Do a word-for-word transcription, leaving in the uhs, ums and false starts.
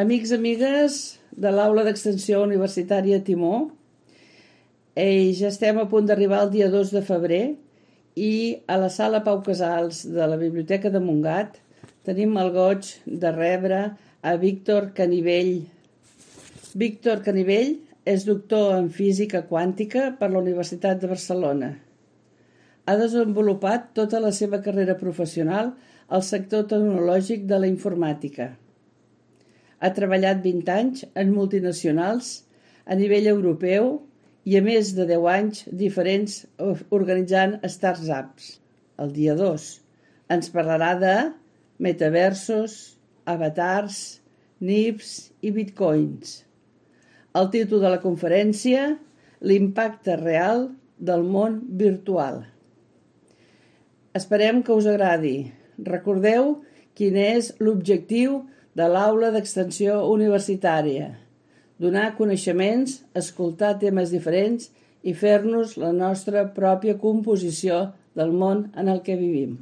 Amics, amigues de l'Aula d'Extensió Universitària Timó, eh, ja estem a punt d'arribar el dia dos de febrer i a la sala Pau Casals de la Biblioteca de Montgat tenim el goig de rebre a Víctor Canivell. Víctor Canivell és doctor en física quàntica per la Universitat de Barcelona. Ha desenvolupat tota la seva carrera professional al sector tecnològic de la informàtica. Ha treballat vint anys en multinacionals a nivell europeu i a més de deu anys diferents organitzant startups. El dia dos ens parlarà de metaversos, avatars, N I Ps i bitcoins. El títol de la conferència: l'impacte real del món virtual. Esperem que us agradi. Recordeu quin és l'objectiu de l'Aula d'Extensió Universitària: donar coneixements, escoltar temes diferents i fer-nos la nostra pròpia composició del món en el que vivim.